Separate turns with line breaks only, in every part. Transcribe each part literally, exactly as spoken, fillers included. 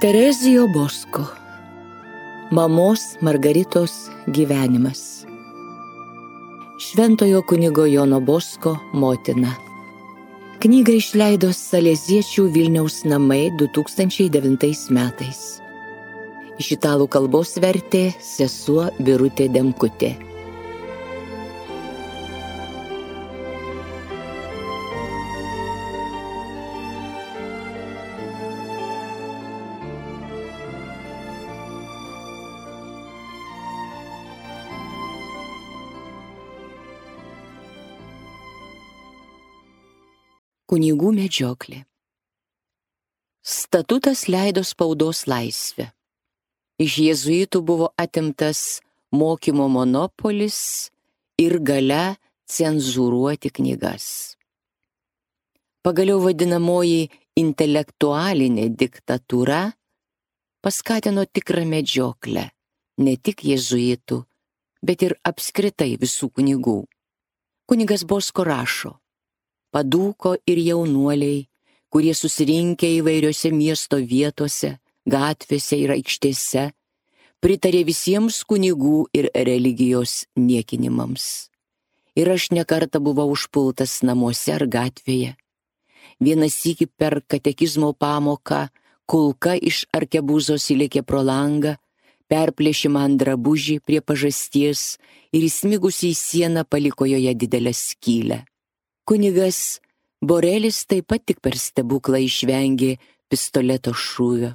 Terezijo Bosko. Mamos Margaritos gyvenimas. Šventojo kunigo Jono Bosko motina. Knygą išleido Saleziečių Vilniaus namai du tūkstančiai devintais metais. Iš italų kalbos vertė sesuo Birutė Demkutė. Kunigų medžioklė. Statutas leido spaudos laisvę. Iš jėzuitų buvo atimtas mokymo monopolis ir galia cenzūruoti knygas. Pagaliau vadinamoji intelektualinė diktatūra paskatino tikrą medžioklę, ne tik jėzuitų, bet ir apskritai visų kunigų. Kunigas Bosko rašo: padūko ir jaunuoliai, kurie susirinkę įvairiose miesto vietose, gatvėse ir aikštėse, pritarė visiems kunigų ir religijos niekinimams. Ir aš nekartą buvau užpultas namuose ar gatvėje. Vieną sykį per katekizmo pamoką kulka iš arkebuzos įlėkė pro langą, perplėšė man drabužį prie pažasties ir įsmigusi į sieną paliko joje didelę skylę. Kunigas Borelis taip pat tik per stebuklą išvengė pistoleto šūvio.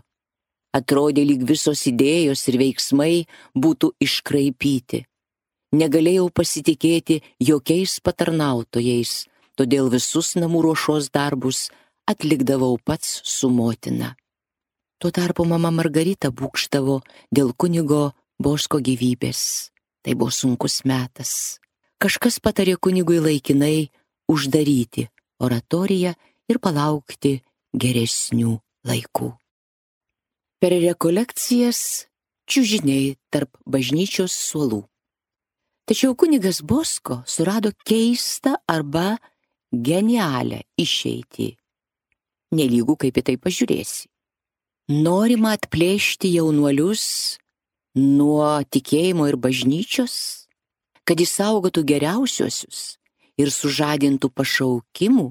Atrodė, lyg visos idėjos ir veiksmai būtų iškraipyti. Negalėjau pasitikėti jokiais patarnautojais, todėl visus namų ruošos darbus atlikdavau pats su motina. Tuo tarpu mama Margarita būgštavo dėl kunigo Bosko gyvybės. Tai buvo sunkus metas. Kažkas patarė kunigui laikinai uždaryti oratoriją ir palaukti geresnių laikų. Per rekolekcijas čiužiniai tarp bažnyčios suolų. Tačiau kunigas Bosko surado keistą arba genialią išeitį. Nelygų kaip į tai pažiūrėsi. Norima atplėšti jaunuolius nuo tikėjimo ir bažnyčios, kad išsaugotų geriausiuosius ir sužadintų pašaukimų,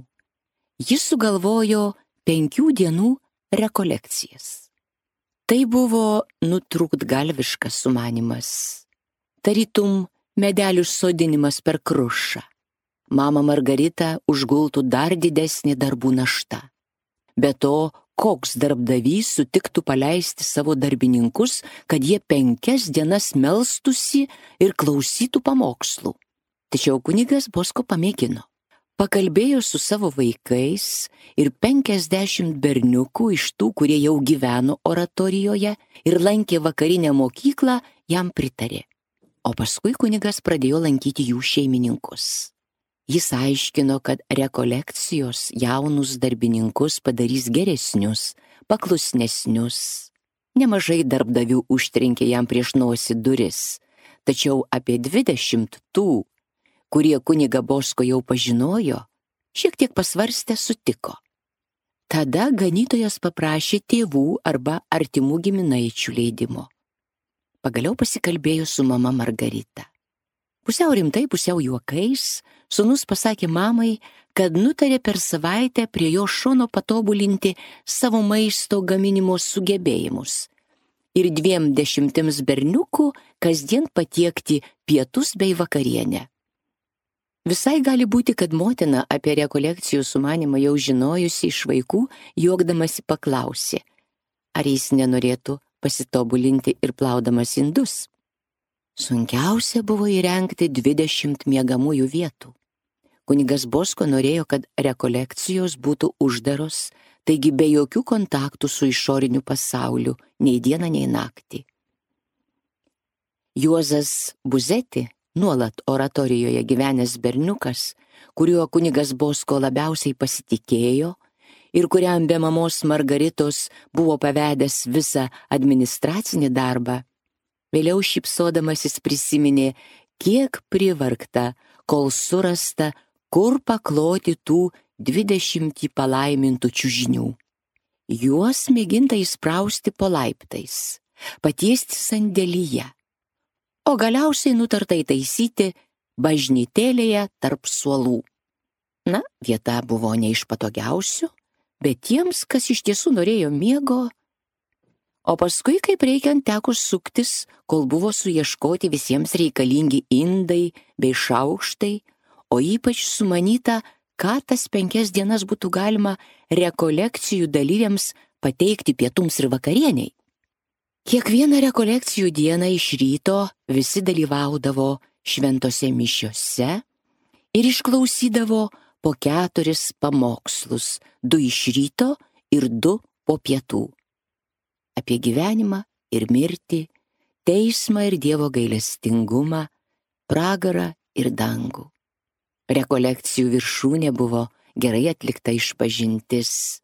jis sugalvojo penkių dienų rekolekcijas. Tai buvo nutrūktgalviškas sumanymas, tarytum medelių sodinimas per krušą. Mama Margarita užgultų dar didesnį darbų naštą. Be to, koks darbdavys sutiktų paleisti savo darbininkus, kad jie penkias dienas melstųsi ir klausytų pamokslų. Tačiau kunigas Bosko pamėgino. Pakalbėjo su savo vaikais ir penkiasdešimt berniukų iš tų, kurie jau gyveno oratorijoje ir lankė vakarinę mokyklą, jam pritarė. O paskui kunigas pradėjo lankyti jų šeimininkus. Jis aiškino, kad rekolekcijos jaunus darbininkus padarys geresnius, paklusnesnius. Nemažai darbdavių užtrenkė jam prieš nosį duris, tačiau apie dvidešimt tų, kurie kunigą Bosko jau pažinojo, šiek tiek pasvarstę sutiko. Tada ganytojas paprašė tėvų arba artimų giminaičių leidimo. Pagaliau pasikalbėjo su mama Margarita. Pusiau rimtai, pusiau juokais, sūnus pasakė mamai, kad nutarė per savaitę prie jo šono patobulinti savo maisto gaminimo sugebėjimus ir dviem dešimtims berniukų kasdien patiekti pietus bei vakarienę. Visai gali būti, kad motina apie rekolekcijų sumanymą jau žinojusi iš vaikų, juokdamasi paklausė, ar jis nenorėtų pasitobulinti ir plaudamas indus. Sunkiausia buvo įrengti dvidešimt miegamųjų vietų. Kunigas Bosko norėjo, kad rekolekcijos būtų uždaros, taigi be jokių kontaktų su išoriniu pasauliu, nei dieną, nei naktį. Juozas Buzeti, nuolat oratorijoje gyvenęs berniukas, kuriuo kunigas Bosko labiausiai pasitikėjo ir kuriam be mamos Margaritos buvo pavedęs visą administracinį darbą, vėliau šypsodamasis prisiminė, kiek privargta, kol surasta, kur pakloti tų dvidešimtį palaimintų čiužinių. juos mėginta įsprausti po laiptais, patiesti sandėlyje, o galiausiai nutarta įtaisyti bažnytėlėje tarp suolų. Na, vieta buvo ne iš patogiausių, bet tiems, kas iš tiesų norėjo miego, o paskui, kaip reikiant, teko suktis, kol buvo suieškoti visiems reikalingi indai bei šaukštai, o ypač sumanyta, ką tas penkias dienas būtų galima rekolekcijų dalyviams pateikti pietums ir vakarieniai. Kiekvieną rekolekcijų dieną iš ryto visi dalyvaudavo šventose mišiose ir išklausydavo po keturis pamokslus, du iš ryto ir du po pietų. Apie gyvenimą ir mirtį, teismą ir Dievo gailestingumą, pragarą ir dangų. Rekolekcijų viršūnė buvo gerai atlikta išpažintis,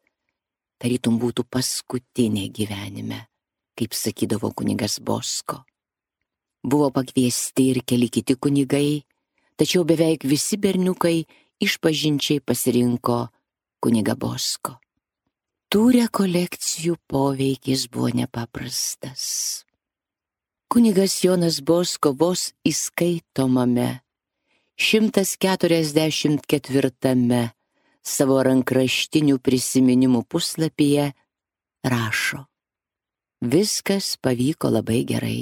tarytum būtų paskutinė gyvenime, kaip sakydavo kunigas Bosko. Buvo pakviesti ir keli kiti kunigai, tačiau beveik visi berniukai išpažinčiai pasirinko kunigą Bosko. Tų rekolekcijų poveikis buvo nepaprastas. Kunigas Jonas Bosko vos įskaitomame šimtas keturiasdešimt ketvirtame savo rankraštinių prisiminimų puslapyje rašo: viskas pavyko labai gerai.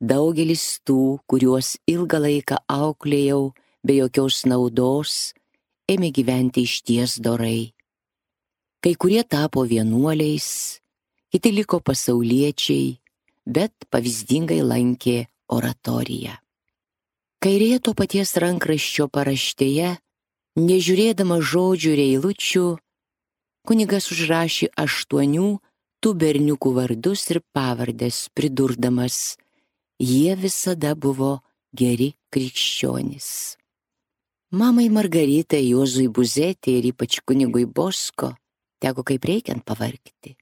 Daugelis tų, kuriuos ilgą laiką auklėjau be jokios naudos, ėmė gyventi išties dorai. Kai kurie tapo vienuoliais, kiti liko pasauliečiai, bet pavyzdingai lankė oratoriją. Kairėje to paties rankraščio paraštėje, nežiūrėdama žodžių ir eilučių, kunigas užrašė aštuonių tų berniukų vardus ir pavardes, pridurdamas: jie visada buvo geri krikščionys. Mamai Margaritai, Juozui Buzetė ir ypač kunigui Bosko teko kaip reikiant pavargti.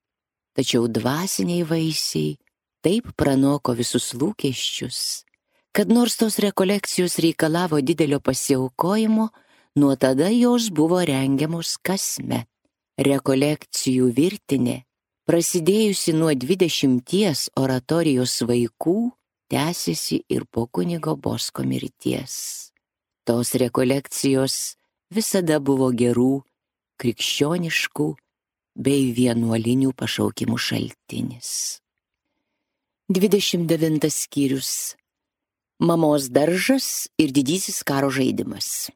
Tačiau dvasiniai vaisiai taip pranoko visus lūkesčius, kad nors tos rekolekcijos reikalavo didelio pasiaukojimo, nuo tada jos buvo rengiamos kasmet. Rekolekcijų virtinė, prasidėjusi nuo dvidešimties oratorijos vaikų, tęsiasi ir po kunigo Bosko mirties. Tos rekolekcijos visada buvo gerų, krikščioniškų bei vienuolinių pašaukimų šaltinis. dvidešimt devintas skyrius. Mamos daržas ir didysis karo žaidimas.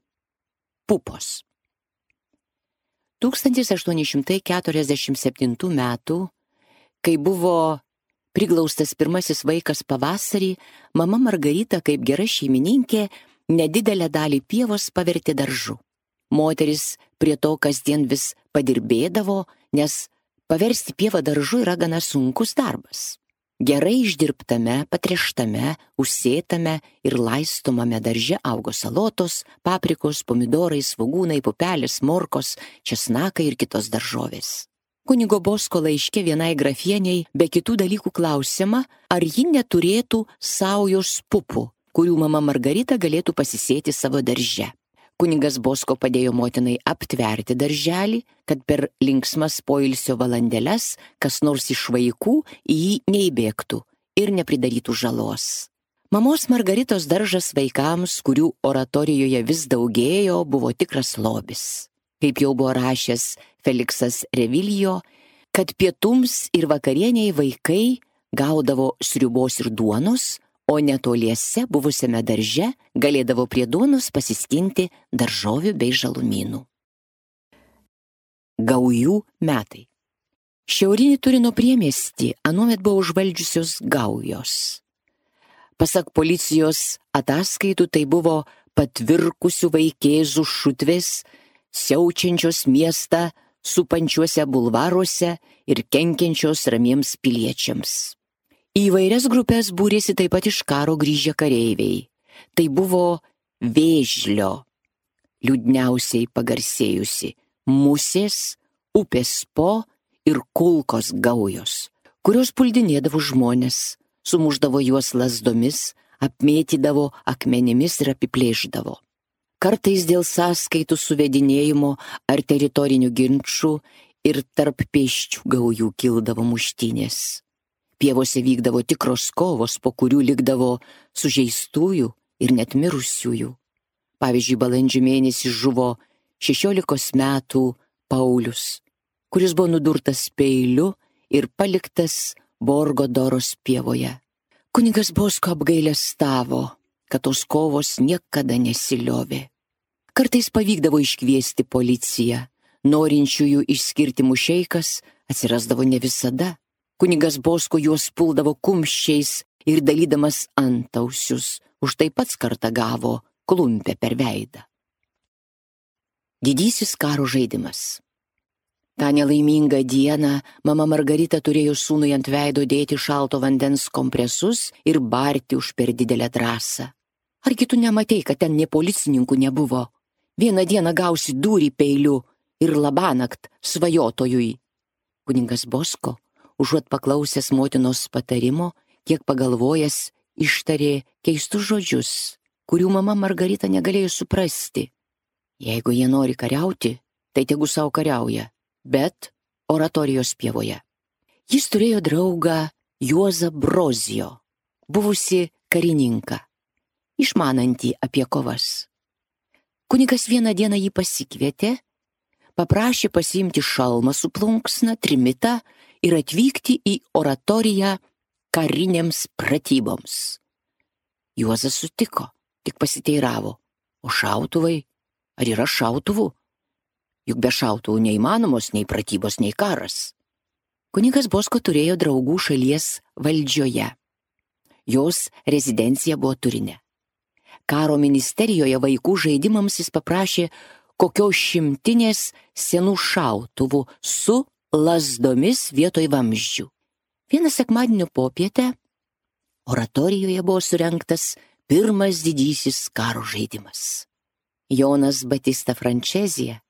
Pupos. tūkstantis aštuoni šimtai keturiasdešimt septintų metų, kai buvo priglaustas pirmasis vaikas pavasarį, mama Margarita kaip gera šeimininkė nedidelę dalį pievos pavertė daržu. Moteris prie to kasdien vis padirbėdavo, nes paversti pievą daržu yra gana sunkus darbas. Gerai išdirbtame, patręštame, užsėtame ir laistomame darže augo salotos, paprikos, pomidorai, svogūnai, pupelės, morkos, česnakai ir kitos daržovės. Kunigo Bosko laiške vienai grafieniai be kitų dalykų klausiama, ar ji neturėtų saujos pupų, kurių mama Margarita galėtų pasisėti savo darže. Kunigas Bosko padėjo motinai aptverti darželį, kad per linksmas poilsio valandėles kas nors iš vaikų į jį neįbėgtų ir nepridarytų žalos. Mamos Margaritos daržas vaikams, kurių oratorijoje vis daugėjo, buvo tikras lobis. Kaip jau buvo rašęs Feliksas Revilijo, kad pietums ir vakarieniai vaikai gaudavo sriubos ir duonos, o netoliese buvusiame darže galėdavo prie duonos pasiskinti daržovių bei žalumynų. Gaujų metai. Šiaurinį Turino priemiestį anuomet buvo užvaldžiusios gaujos. Pasak policijos ataskaitų, tai buvo patvirkusių vaikėzų šutvės, siaučiančios miestą supančiuose bulvaruose ir kenkiančios ramiems piliečiams. Į įvairias grupės būrėsi taip pat iš karo grįžę kareiviai. Tai buvo Vėžlio, liūdniausiai pagarsėjusi, Musės, Upės Po ir Kulkos gaujos, kurios puldinėdavo žmonės, sumuždavo juos lazdomis, apmėtydavo akmenimis ir apiplėždavo. Kartais dėl sąskaitų suvedinėjimo ar teritorinių ginčų ir tarp pėsčių gaujų kildavo muštynės. Pievose vykdavo tikros kovos, po kurių likdavo sužeistųjų ir net mirusiųjų. Pavyzdžiui, balandžio mėnesį žuvo šešiolikos metų Paulius, kuris buvo nudurtas peiliu ir paliktas Borgo Doros pievoje. Kunigas Bosko apgailestavo, kad tos kovos niekada nesiliovė. Kartais pavykdavo iškviesti policiją, norinčiųjų išskirti mušeikas atsirasdavo ne visada. Kunigas Bosko juos puldavo kumščiais ir dalydamas antausius, už tai pats kartą gavo klumpę per veidą. Didysis karo žaidimas. Ta nelaimingą dieną mama Margarita turėjo sūnui ant veido dėti šalto vandens kompresus ir barti už per didelę drąsą. Argi tu nematei, kad ten nė policininkų nebuvo? Vieną dieną gausi dūrį peiliu ir labanakt svajotojui. Kunigas Bosko, užuot paklausęs motinos patarimo, kiek pagalvojęs, ištarė keistus žodžius, kurių mama Margarita negalėjo suprasti. Jeigu jie nori kariauti, tai tegu savo kariauja, bet oratorijos pievoje. Jis turėjo draugą Juozą Brozijo, buvusi karininką, išmanantį apie kovas. Kunigas vieną dieną jį pasikvietė, paprašė pasiimti šalmą su plunksna, trimitą ir atvykti į oratoriją karinėms pratyboms. Juozas sutiko, tik pasiteiravo, o šautuvai, ar yra šautuvų? Juk be šautuvų neįmanomos nei pratybos, nei karas. Kunigas Bosko turėjo draugų šalies valdžioje. Jos rezidencija buvo Turine. Karo ministerijoje vaikų žaidimams jis paprašė kokios šimtinės senų šautuvų su lazdomis vietoj vamzdžių. Vieną sekmadienio popietę oratorijoje buvo surengtas pirmas didysis karo žaidimas. Jonas Batista Frančezija,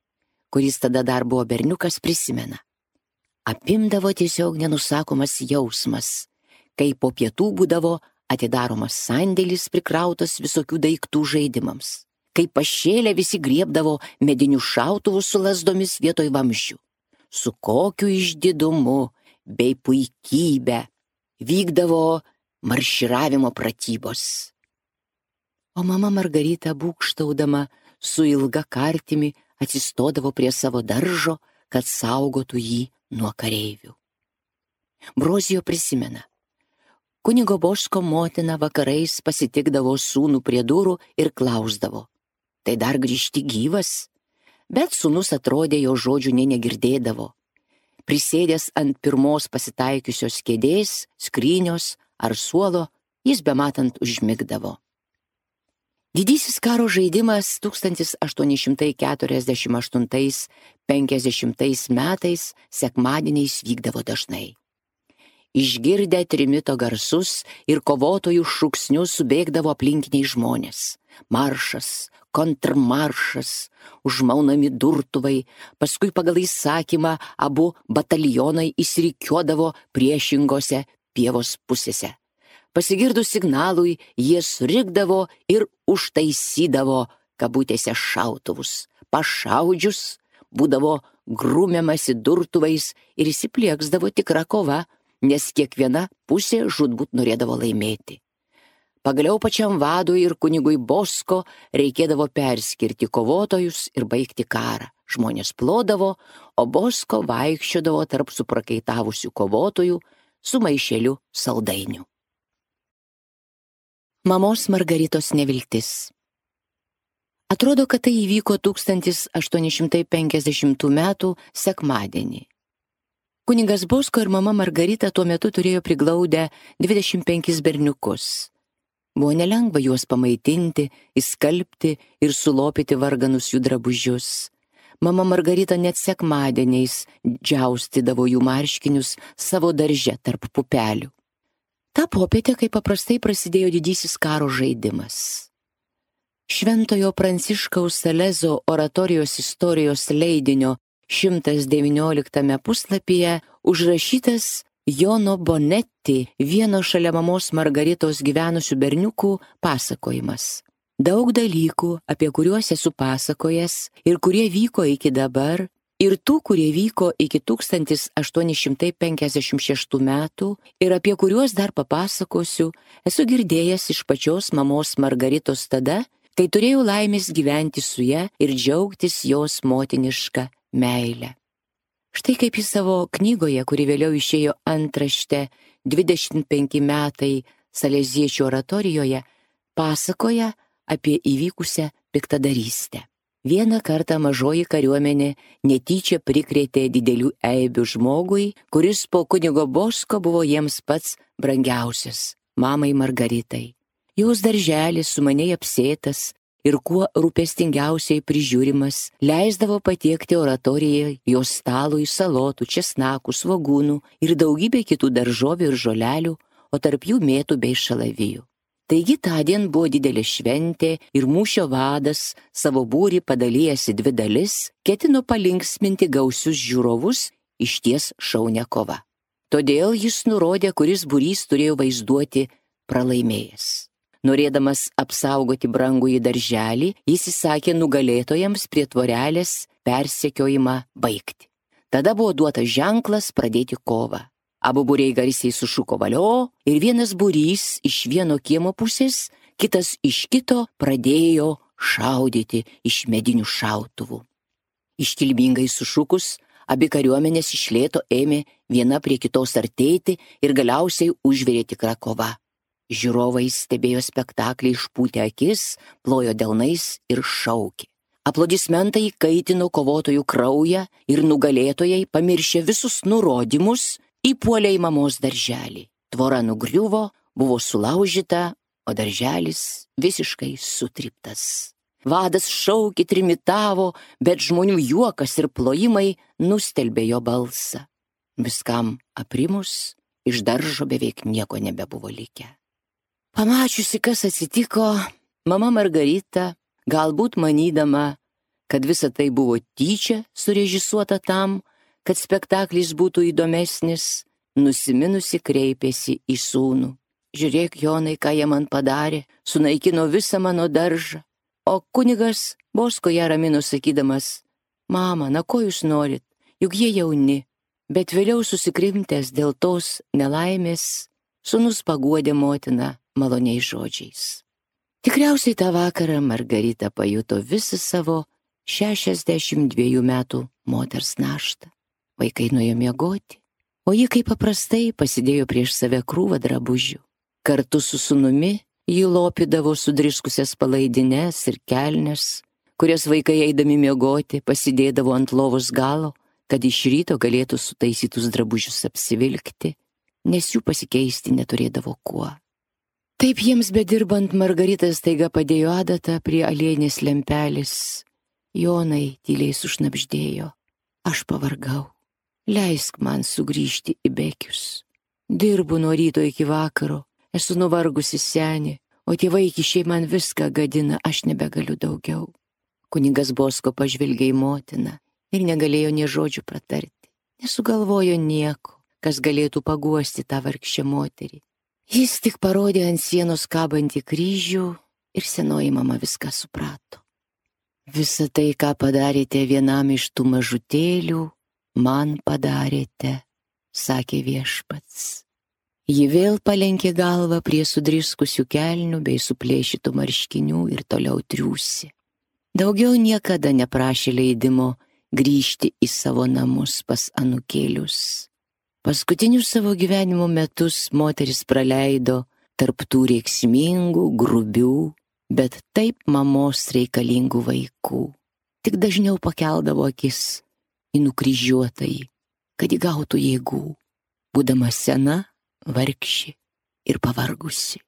kuris tada dar buvo berniukas, prisimena. Apimdavo tiesiog nenusakomas jausmas, kai po pietų būdavo atidaromas sandėlis prikrautas visokių daiktų žaidimams, kai pašėlę visi griebdavo medinių šautuvų su lazdomis vietoj vamzdžių. Su kokiu išdidumu bei puikybė vykdavo marširavimo pratybos. O mama Margarita, būgštaudama su ilga kartimi, atsistodavo prie savo daržo, kad saugotų jį nuo kareivių. Brozijo prisimena. Kunigo Bosko motina vakarais pasitikdavo sūnų prie durų ir klausdavo. Tai dar grįžti gyvas? Bet sūnus atrodė, jo žodžių nė negirdėdavo. Prisėdęs ant pirmos pasitaikiusios kėdės, skrynios ar suolo, jis bematant užmigdavo. Didysis karo žaidimas tūkstantis aštuoni šimtai keturiasdešimt aštuntais penkiasdešimtais metais sekmadieniais vykdavo dažnai. Išgirdę trimito garsus ir kovotojų šūksnius subėgdavo aplinkiniai žmonės. Maršas, kontrmaršas, užmaunami durtuvai, paskui pagal įsakymą abu batalionai įsirikiuodavo priešingose pievos pusėse. Pasigirdus signalui, jie surikdavo ir užtaisydavo kabutėse šautuvus. Pašaudžius būdavo grūmiamasi durtuvais ir įsiplieksdavo tikra kova, nes kiekviena pusė žūtbūt norėdavo laimėti. Pagaliau pačiam vadui ir kunigui Bosko reikėdavo perskirti kovotojus ir baigti karą. Žmonės plodavo, o Bosko vaikščiodavo tarp suprakaitavusių kovotojų su maišeliu saldainių. Mamos Margaritos neviltis. Atrodo, kad tai įvyko tūkstantis aštuoni šimtai penkiasdešimtų metų sekmadienį. Kunigas Bosko ir mama Margarita tuo metu turėjo priglaudę dvidešimt penkis berniukus. Buvo nelengva juos pamaitinti, įskalbti ir sulopyti varganus jų drabužius. Mama Margarita net sekmadieniais džiaustydavo jų marškinius savo darže tarp pupelių. Ta popietė, kaip paprastai, prasidėjo didysis karo žaidimas. Šventojo Pranciškaus Salezo oratorijos istorijos leidinio šimtas devynioliktame puslapyje užrašytas Jono Bonetti, vieno šalia mamos Margaritos gyvenusių berniukų, pasakojimas. Daug dalykų, apie kuriuos esu pasakojęs ir kurie vyko iki dabar, ir tų, kurie vyko iki tūkstantis aštuoni šimtai penkiasdešimt šeštų metų ir apie kuriuos dar papasakosiu, esu girdėjęs iš pačios mamos Margaritos tada, kai turėjau laimės gyventi su ja ir džiaugtis jos motiniška meile. Štai kaip į savo knygoje, kuri vėliau išėjo antrašte dvidešimt penki metai Saleziečių oratorijoje, pasakoja apie įvykusią piktadarystę. Vieną kartą mažoji kariuomenė netyčia prikrėtė didelių eibių žmogui, kuris po kunigo Bosko buvo jiems pats brangiausias – mamai Margaritai. Jos darželis sumaniai apsėtas ir kuo rūpestingiausiai prižiūrimas leisdavo patiekti oratorijai jos stalui salotų, česnakų, svogūnų ir daugybė kitų daržovių ir žolelių, o tarp jų mėtų bei šalavijų. Taigi tądien buvo didelė šventė ir mūšio vadas savo būrį padalijęs į dvi dalis, ketino palinksminti gausius žiūrovus išties šaunią kovą. Todėl jis nurodė, kuris būrys turėjo vaizduoti pralaimėjęs. Norėdamas apsaugoti brangųjį darželį, jis įsakė nugalėtojams prie tvorelės persekiojimą baigti. Tada buvo duotas ženklas pradėti kovą. Abu būriai garsiai sušuko valio ir vienas būrys iš vieno kiemo pusės, kitas iš kito pradėjo šaudyti iš medinių šautuvų. Iškilmingai sušukus, abi kariuomenės iš lėto ėmė viena prie kitos artėti ir galiausiai užvirė tikra kova. Žiūrovai stebėjo spektaklį išpūtę akis, plojo delnais ir šaukė. Aplodismentai kaitino kovotojų kraują ir nugalėtojai, pamiršę visus nurodymus, įpuolė į mamos darželį. Tvora nugriuvo, buvo sulaužyta, o darželis visiškai sutryptas. Vadas šaukė, trimitavo, bet žmonių juokas ir plojimai nustelbė jo balsą. Viskam aprimus, iš daržo beveik nieko nebebuvo likę. Pamačiusi, kas atsitiko, mama Margarita, galbūt manydama, kad visa tai buvo tyčia surežisuota tam, kad spektaklis būtų įdomesnis, nusiminusi kreipėsi į sūnų. Žiūrėk, Jonai, ką jie man padarė, sunaikino visą mano daržą. O kunigas Bosko ją ramino sakydamas, mama, na ko jūs norit, juk jie jauni. Bet vėliau susikrimtęs dėl tos nelaimės, sūnus paguodė motiną maloniais žodžiais. Tikriausiai tą vakarą Margarita pajuto visą savo šešiasdešimt dviejų metų moters naštą. Vaikai nuėjo miegoti, o ji kaip paprastai pasidėjo prieš save krūvą drabužių. Kartu su sūnumi ji lopydavo sudriskusias palaidines ir kelnes, kurias vaikai eidami miegoti pasidėdavo ant lovos galo, kad iš ryto galėtų sutaisytus drabužius apsivilkti, nes jų pasikeisti neturėdavo kuo. Taip jiems bedirbant Margarita staiga padėjo adatą prie aliejinės lempelės. Jonai tyliai sušnabždėjo, aš pavargau. Leisk man sugrįžti į Bekius. Dirbu nuo ryto iki vakaro, esu nuvargusi senė, o tie vaikišiai man viską gadina, aš nebegaliu daugiau. Kunigas Bosko pažvelgė į motiną ir negalėjo nė žodžių pratarti. Nesugalvojo nieko, kas galėtų paguosti tą vargšę moterį. Jis tik parodė ant sienos kabantį kryžių ir senoji mama viską suprato. Visa tai, ką padarėte vienam iš tų mažutėlių, man padarėte, sakė viešpats. Ji vėl palenkė galvą prie sudriskusių kelnių bei suplėšytų marškinių ir toliau triūsė. Daugiau niekada neprašė leidimo grįžti į savo namus pas anūkėlius. Paskutinius savo gyvenimo metus moteris praleido tarp tų reiksmingų, grubių, bet taip mamos reikalingų vaikų. Tik dažniau pakeldavo akis į nukryžiuotąjį, kad įgautų jėgų, būdama sena, vargši ir pavargusi.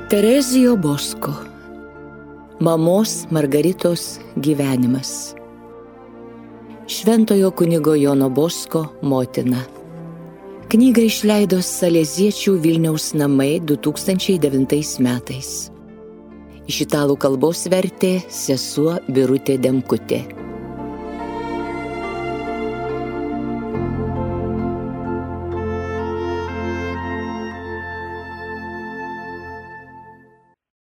Terezijo Bosko. Mamos Margaritos gyvenimas. Šventojo kunigo Jono Bosko motina. Knygą išleido Saleziečių Vilniaus namai du tūkstančiai devintais metais. Iš italų kalbos vertė sesuo Birutė Demkutė.